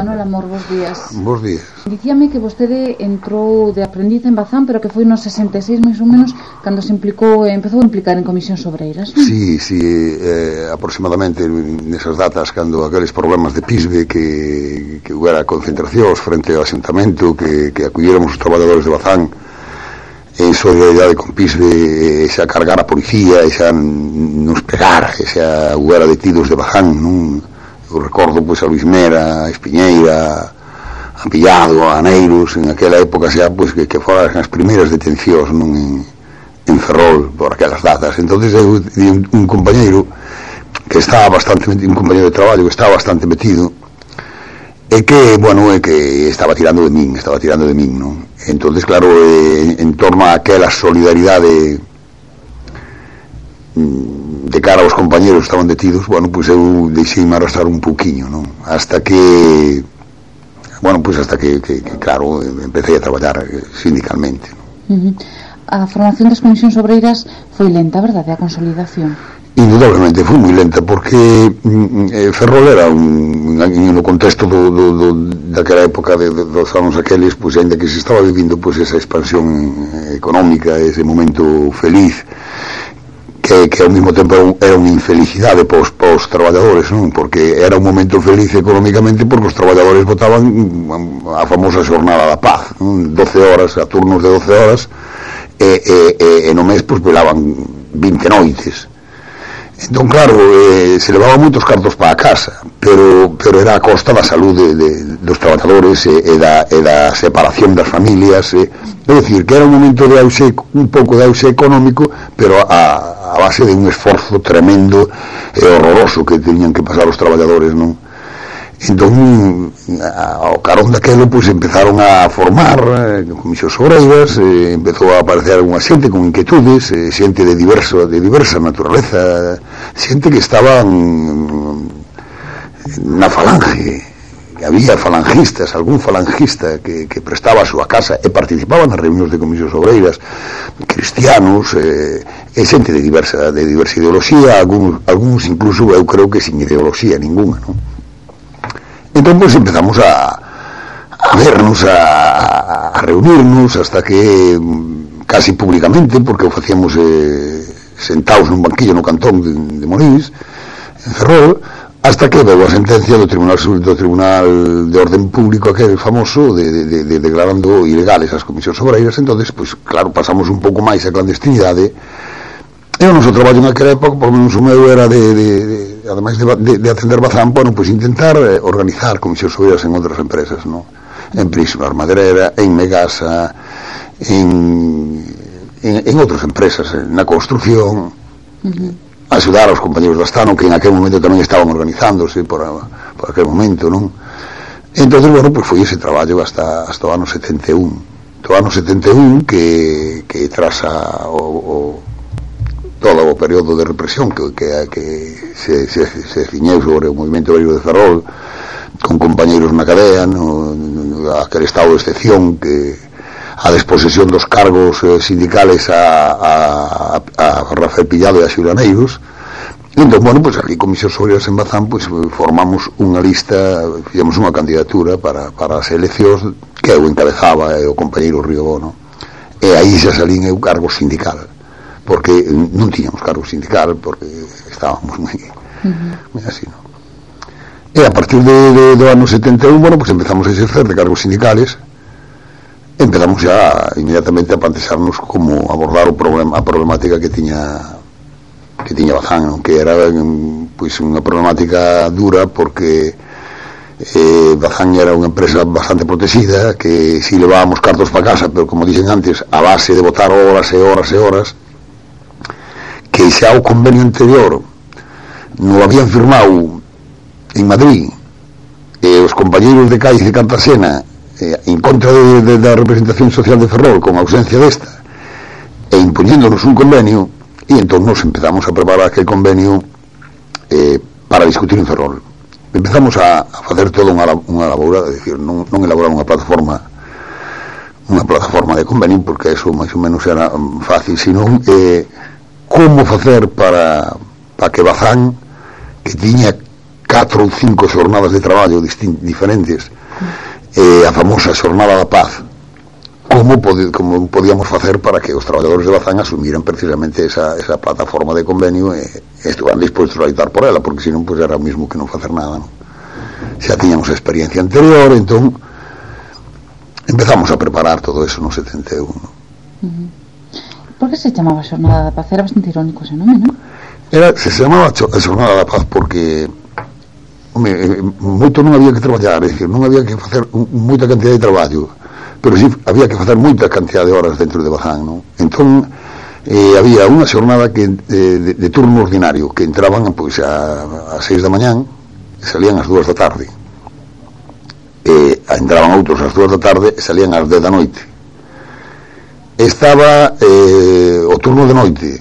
Manuel Amor, bos días. Bos días. Dicíame que vostede entrou de aprendiz en Bazán, pero que foi nos 66 máis ou menos cando se empezou a implicar en comisións obreiras, non? Sí, aproximadamente nesas datas, cando aqueles problemas de PISBE que hubiera concentracións frente ao Asuntamento, que aculléramos os traballadores de Bazán en solidaridade con PISBE, xa cargar a policía, xa nos pegar, xa hubiera detidos de Bazán, non? Eu recordo pois a Luis Mera, a Espiñeira, a Pillado, a Aneiros, en aquela época xa pois que foran as primeiras detencións, non, en Ferrol por aquelas datas. Entonces eu un compañeiro que estaba bastante, un compañeiro de traballo que estaba bastante metido, e que, bueno, que estaba tirando de min, non? Entonces, claro, en torno a aquela solidaridade de cara aos compañeros que estaban detidos, bueno, pois eu deixei-me arrastrar un pouquiño, non? Hasta que, claro, empecé a traballar sindicalmente, non? A formación das comisións obreiras foi lenta, verdade, a consolidación? Indudablemente foi moi lenta, porque Ferrol era no contexto daquela época dos anos aqueles, pois ainda que se estaba vivindo pois esa expansión económica, ese momento feliz, que ao mesmo tempo era unha infelicidade para os traballadores, non? Porque era un momento feliz económicamente porque os traballadores votaban a famosa xornada da paz, non? 12 horas, a turnos de 12 horas, e no mes pois velaban 20 noites. Entón, claro, se levaban moitos cartos para a casa, pero era a costa da saúde dos traballadores e da separación das familias, é dicir, que era un momento de auxe, un pouco de auxe económico, pero a base de un esforzo tremendo e horroroso que tenían que pasar os traballadores, non? Entón, ao carón daquelo, pois empezaron a formar comisións obreiras, empezou a aparecer unha xente con inquietudes, xente de diversa naturaleza, xente que estaban na falange, que había falangistas, algún falangista que prestaba a súa casa e participaba nas reunións de comisións obreiras, cristianos, e xente de diversa ideoloxía, algúns incluso eu creo que sin ideoloxía ninguna, non? Entón, pois, empezamos a vernos, a reunirnos, hasta que casi públicamente, porque o facíamos sentados nun banquillo no cantón de Morís, en Ferrol, hasta que veu a sentencia do Tribunal de Orden Público, aquel famoso, de declarando ilegales as comisións obreiras. Entonces, pois, claro, pasamos un pouco máis a clandestinidade, e o noso traballo naquela época, por menos o meu, era ademais de atender Bazán, bueno, pois intentar organizar comisións obreiras en outras empresas, non? En Prisma Maderera, en Megasa, en outras empresas, na construción, axudar aos compañeros da Astano, que en aquel momento tamén estaban organizándose por aquel momento, non? Entonces, bueno, pois foi ese traballo hasta o ano 71. Do ano 71 que tras todo o período de represión que se ciñeu sobre o movimento obreiro de Ferrol, con compañeiros na cadea, aquel estado de excepción, que a desposesión dos cargos sindicales a Rafael Pillado e a Xiuraneiros. Entón, bueno, pois ali comisións obreiras en Bazán, pois formamos unha lista, fixemos unha candidatura para as eleccións que eu encabezaba e o compañeiro Riobó, non? E aí xa salín eu cargo sindical, porque non tiñamos cargo sindical, porque estábamos moi así, non? E a partir do ano 71, bueno, pues empezamos a exercer de cargos sindicales, empezamos xa inmediatamente a plantearnos como abordar a problemática que tiña Bazán, non? Que era pois unha problemática dura, porque Bazán era unha empresa bastante protegida, que si levábamos cartos para casa, pero como dixen antes, a base de botar horas e horas e horas, que xa o convenio anterior non lo habían firmado en Madrid, os compañeiros de Cádiz e Cartagena, en contra da representación social de Ferrol, con ausencia desta, e impoñéndonos un convenio, e entón nos empezamos a preparar aquel convenio para discutir en Ferrol. Empezamos a facer toda unha labora, é dicir, non elaborar unha plataforma de convenio, porque eso máis ou menos era fácil, senón como facer para que Bazán, que tiña 4 ou 5 xornadas de traballo diferentes, a famosa xornada da paz, como podíamos facer para que os traballadores de Bazán asumiran precisamente esa plataforma de convenio e estuveran dispostos a loitar por ela, porque senón pues era o mismo que non facer nada, non? Xa tiñamos a experiencia anterior, entón empezamos a preparar todo eso no 71, non? Por que se chamaba Xornada da Paz? Era bastante irónico ese nome, non? Se chamaba a Xornada da Paz porque moito non había que traballar, é dicir, non había que facer moita cantidad de traballo, pero sí había que facer moita cantidad de horas dentro de Bazán, non? Entón había unha xornada que de turno ordinario que entraban pois a 6 da mañán e salían ás 2 da tarde, entraban outros ás 2 da tarde e salían ás 10 da noite. Estaba o turno de noite,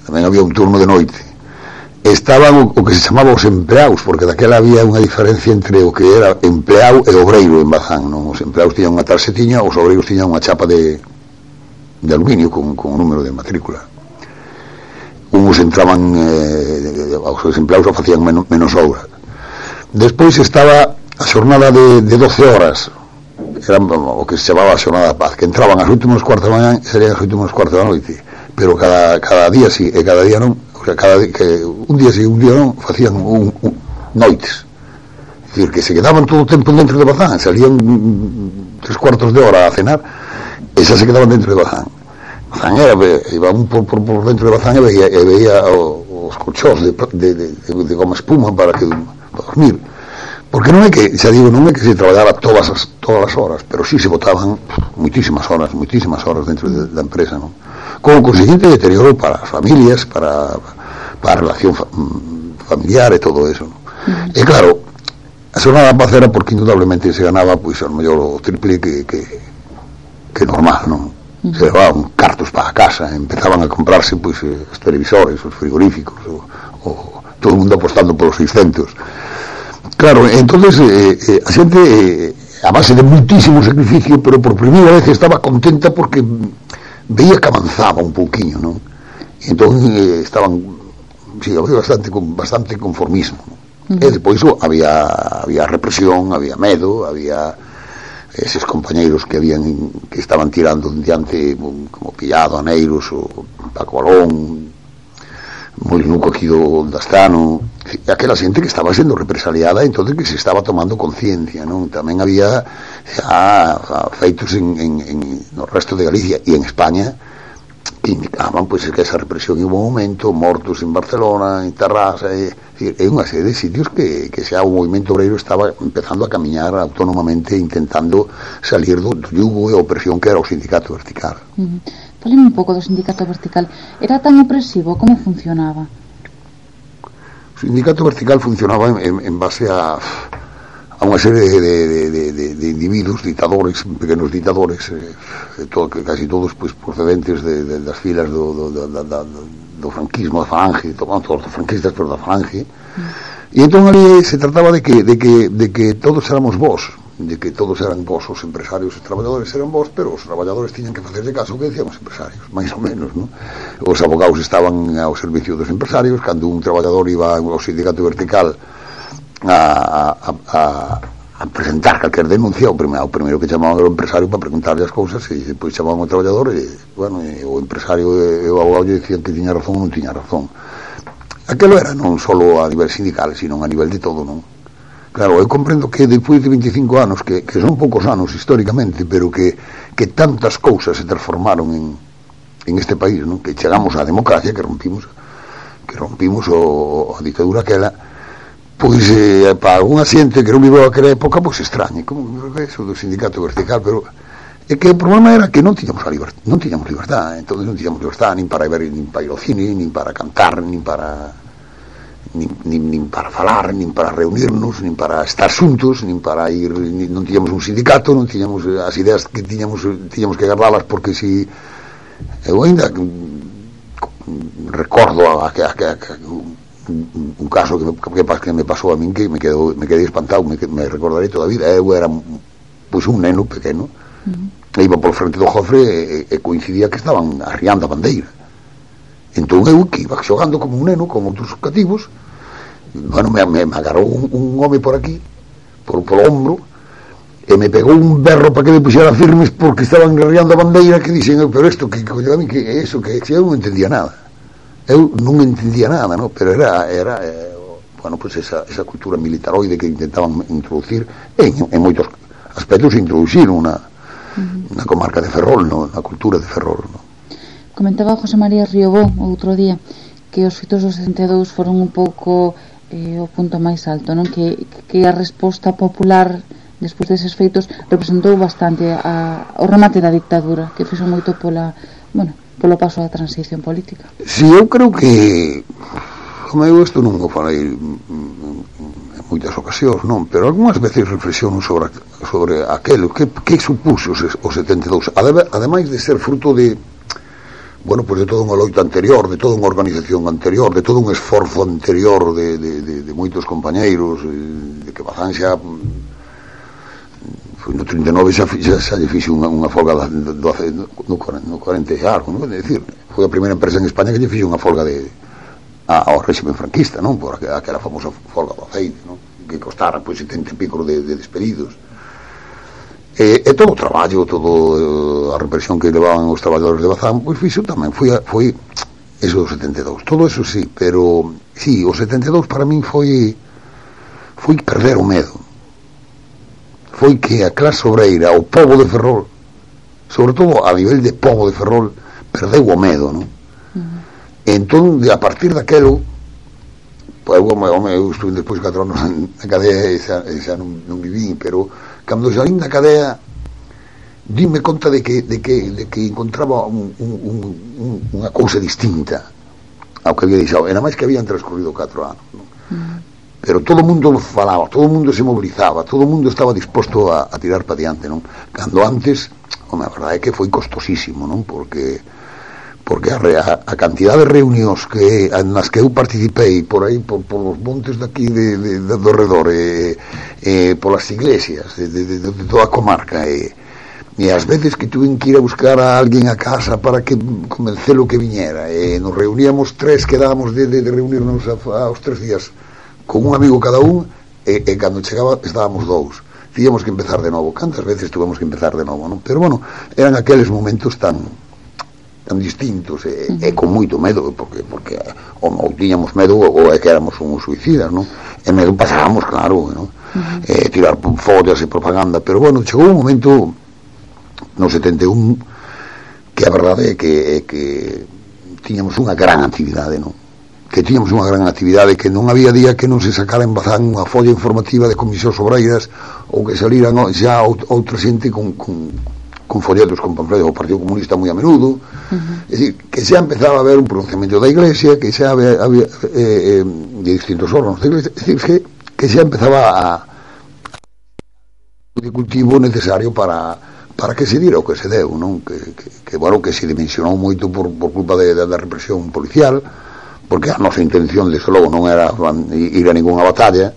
tamén había un turno de noite. Estaban o que se chamaba os empleados, porque daquela había unha diferencia entre o que era empleado e obreiro en Bazán, non? Os empleados tiñan unha tarxetiña, os obreiros tiñan unha chapa de aluminio con o número de matrícula. Uns entraban, os empleados o facían menos horas. Despois estaba a xornada de 12 horas, era o que se chamaba a Xornada da Paz, que entraban ás 8:15 da mañá e salían ás 8:15 da noite, pero cada día sí e cada día non, o sea, un día sí un día non, facían noites, é dicir, que se quedaban todo o tempo dentro de Bazán, salían 3/4 de hora a cenar e xa se quedaban dentro de Bazán. Bazán iba un por dentro de Bazán e veía os colchós de goma espuma para dormir. Porque non é que, xa digo, non é que se traballara todas as horas, pero sí se botaban moitísimas horas dentro da empresa, non? Con o conseguinte deterioro para as familias, para a relación familiar e todo eso, non? E claro, a xornada da paz era porque indudablemente se ganaba pois ao mellor o triple que normal, non? Se levaban cartos para a casa, empezaban a comprarse pois os televisores, os frigoríficos, todo o mundo apostando polos 600. Claro, entonces a xente a base de muitísimo sacrificio, pero por primeira vez estaba contenta porque veía que avanzaba un pouquiño, non? Entón estaban, sí, había bastante conformismo, non? E depois había represión, había medo, había eses compañeiros que estaban tirando diante como Pillado, Aneiros, o Paco Balón, Molinuco aquí do Astano, aquela xente que estaba sendo represaliada, entonces que se estaba tomando conciencia, non? Tamén había feitos no resto de Galicia e en España que indicaban pois que esa represión en un momento, mortos en Barcelona, en Tarrasa, é unha serie de sitios que xa o movimento obreiro estaba empezando a camiñar autónomamente, intentando salir do yugo e a opresión que era o sindicato vertical. Falemos un pouco do sindicato vertical. Era tan opresivo? Como funcionaba? O sindicato vertical funcionaba en base a unha serie de individuos, ditadores, pequenos ditadores, casi todos pues, procedentes das filas do franquismo, da falange, todos os franquistas, pero da falange. E entón ali se trataba de que todos éramos vós, de que todos eran vós, os empresarios e os traballadores eran vós, pero os traballadores tiñan que facerse caso que decían os empresarios, máis ou menos, non? Os abogados estaban ao servicio dos empresarios, cando un traballador iba ao sindicato vertical a presentar calquer denuncia, o primeiro que chamaban era o empresario para preguntarle as cousas, e depois chamaban o traballador e, bueno, o empresario e o abogado dicían que tiña razón ou non tiña razón. Aquelo era non só a nivel sindical, sino a nivel de todo, non? Claro, eu comprendo que depois de 25 anos, que son poucos anos históricamente, pero que tantas cousas se transformaron en este país, non? Que chegamos á democracia, que rompimos a ditadura aquela, pois para algunha xente que non viveu aquela época, pois extrañe, como eso do sindicato vertical, pero é que o problema era que non tiñamos libertad, entón non tiñamos libertad nin para ver, nin para ir ao cine, nin para cantar, nin para falar, nin para reunirnos, nin para estar xuntos, nin para ir, non tiñamos un sindicato, non tiñamos as ideas que tiñamos que guardalas, porque si eu ainda recordo un caso que me pasou a min que me quedei espantado, me recordarei toda a vida. Eu era pois un neno pequeno, iba por frente do Jofre e coincidía que estaban arriando a bandeira. Entón eu que iba xogando como un neno con outros cativos, bueno, me agarrou un home por aquí, polo hombro, e me pegou un berro para que me puxera firmes porque estaban guerreando a bandeira, que dixen, pero isto, que eso, que eu non entendía nada, no? Pero era bueno, pues esa cultura militaroide que intentaban introducir, en moitos aspectos introduciron na comarca de Ferrol, no? Na cultura de Ferrol, no? Comentaba José María Riobó outro día que os fitos dos 62 foron un pouco o punto máis alto, non? Que a resposta popular despois deses feitos representou bastante o remate da dictadura, que fixo moito polo paso da transición política. Si, eu creo que eu isto non o falei en moitas ocasións, non, pero algunhas veces reflexiono sobre aquelo que supuxo o 72, ademais de ser fruto de, bueno, pues de toda unha loita anterior, de toda unha organización anterior, de todo un esforzo anterior de moitos compañeiros, de que Bazán xa no 39 xa lle fixo unha folga no 40 e algo, non? É dicir, foi a primeira empresa en España que lle fixo unha folga ao régimen franquista, non? Por aquela famosa folga do aceite, non? Que costara pois 70 e pico de despedidos. E todo o traballo, a represión que levaban os traballadores de Bazán, pois fixo tamén, foi eso do 72, todo eso sí, pero sí, o 72 para min foi perder o medo, foi que a clase obreira, o pobo de Ferrol, sobre todo a nivel de pobo de Ferrol, perdeu o medo, non? Entón, a partir daquelo, pois eu estuve despois 4 anos na cadea e xa non vivín, pero cando salín da cadea dime conta de que encontraba unha cousa distinta ao que había deixado, era máis que habían transcorrido 4 anos, non? Pero todo o mundo falaba, todo o mundo se mobilizaba, todo o mundo estaba disposto a tirar para diante, non? Cando antes, a verdade é que foi costosísimo, non? Porque a cantidad de reunións nas que eu participei por aí, por os montes daqui do redor, polas iglesias de toda a comarca, e as veces que tuve que ir a buscar a alguén a casa para que convencelo que viñera, e nos reuníamos 3, quedábamos de reunirnos aos 3 días con un amigo cada un, e cando chegaba estábamos 2, tíamos que empezar de novo. Cantas veces tuvemos que empezar de novo, non? Pero bueno, eran aqueles momentos tan distintos e con moito medo, porque ou tiñamos medo ou é que éramos uns suicidas, non? E medo pasábamos, claro, non? Tirar follas e propaganda, pero bueno, chegou un momento no 71 que a verdade é que tiñamos unha gran actividade, non? Que tiñamos unha gran actividade, que non había día que non se sacara en Bazán unha folla informativa de comisións obreiras ou que saliran xa outra xente con folletos, con panfletos do Partido Comunista moi a menudo, é dicir, que xa empezaba a haber un pronunciamento da Iglesia, que xa había de distintos órganos da Iglesia, é dicir, que xa empezaba o cultivo necesario para que se dira o que se deu, non? Que bueno, que se dimensionou moito por culpa da represión policial, porque a nosa intención, desde logo, non era ir a ningunha batalla,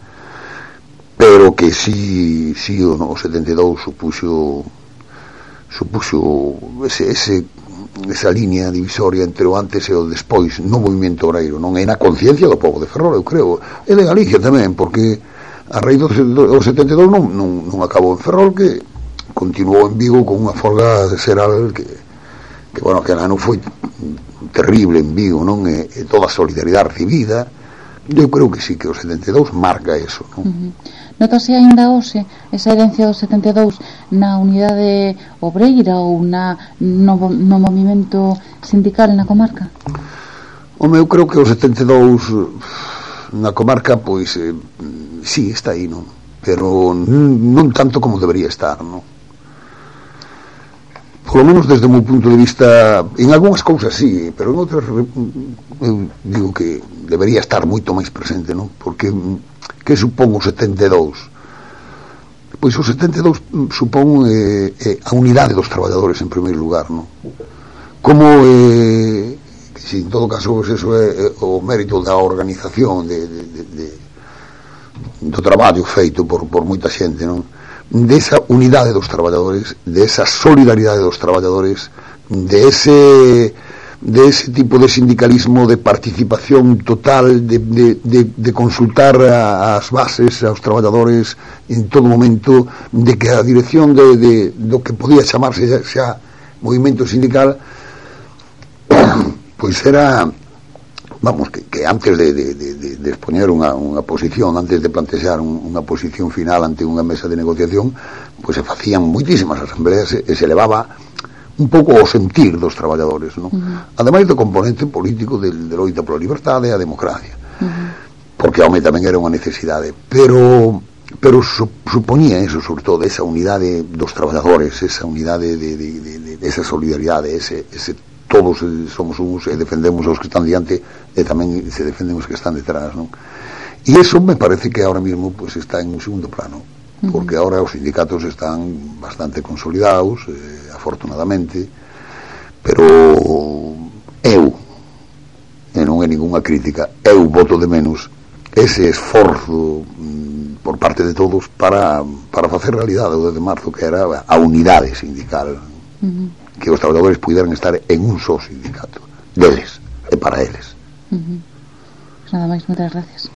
pero que sí o 72 supuxo esa línea divisoria entre o antes e o despois no movimento obreiro, non? É na conciencia do pobo de Ferrol, eu creo, e de Galicia tamén, porque a raíz do 72 non acabou en Ferrol, que continuou en Vigo con unha folga xeral que bueno, que ano foi terrible en Vigo, non? E toda a solidaridade recibida, eu creo que sí, que o 72 marca eso, non? Notase ainda hoxe esa herencia do 72 na unidade obreira ou no movimento sindical na comarca? Eu creo que o 72 na comarca, pois sí, está aí, non? Pero non tanto como debería estar, non? Por lo menos desde o meu punto de vista, en algunhas cousas sí, pero en outras eu digo que debería estar moito máis presente, non? Porque que supón o 72? Pois o 72 supón a unidade dos traballadores en primeiro lugar, non? Como que si en todo caso eso é o mérito da organización do traballo feito por moita xente, non? Desa unidade dos traballadores, de esa solidaridade dos traballadores, de ese de ese tipo de sindicalismo de participación total, de consultar as bases, aos traballadores en todo momento, de que a dirección do que podía chamarse xa movimento sindical pois era, vamos, que antes de expoñer unha posición, antes de plantear unha posición final ante unha mesa de negociación, pois se facían moitísimas asambleas e se levaba un pouco o sentir dos traballadores, non? Ademais do componente político de loita pola liberdade e a democracia, porque home tamén era unha necesidade, pero supoñía eso, sobre todo, esa unidade dos traballadores, esa unidade de esa solidaridade, ese todos somos uns e defendemos os que están diante e tamén se defenden os que están detrás, non? E eso me parece que ahora mismo pues está en un segundo plano, porque ahora os sindicatos están bastante consolidados, afortunadamente, pero eu, e non é ningunha crítica, eu voto de menos ese esforzo por parte de todos para facer realidade o 10 de marzo, que era a unidade sindical, que os traballadores puderan estar en un só sindicato deles e para eles. Nada máis, moitas gracias.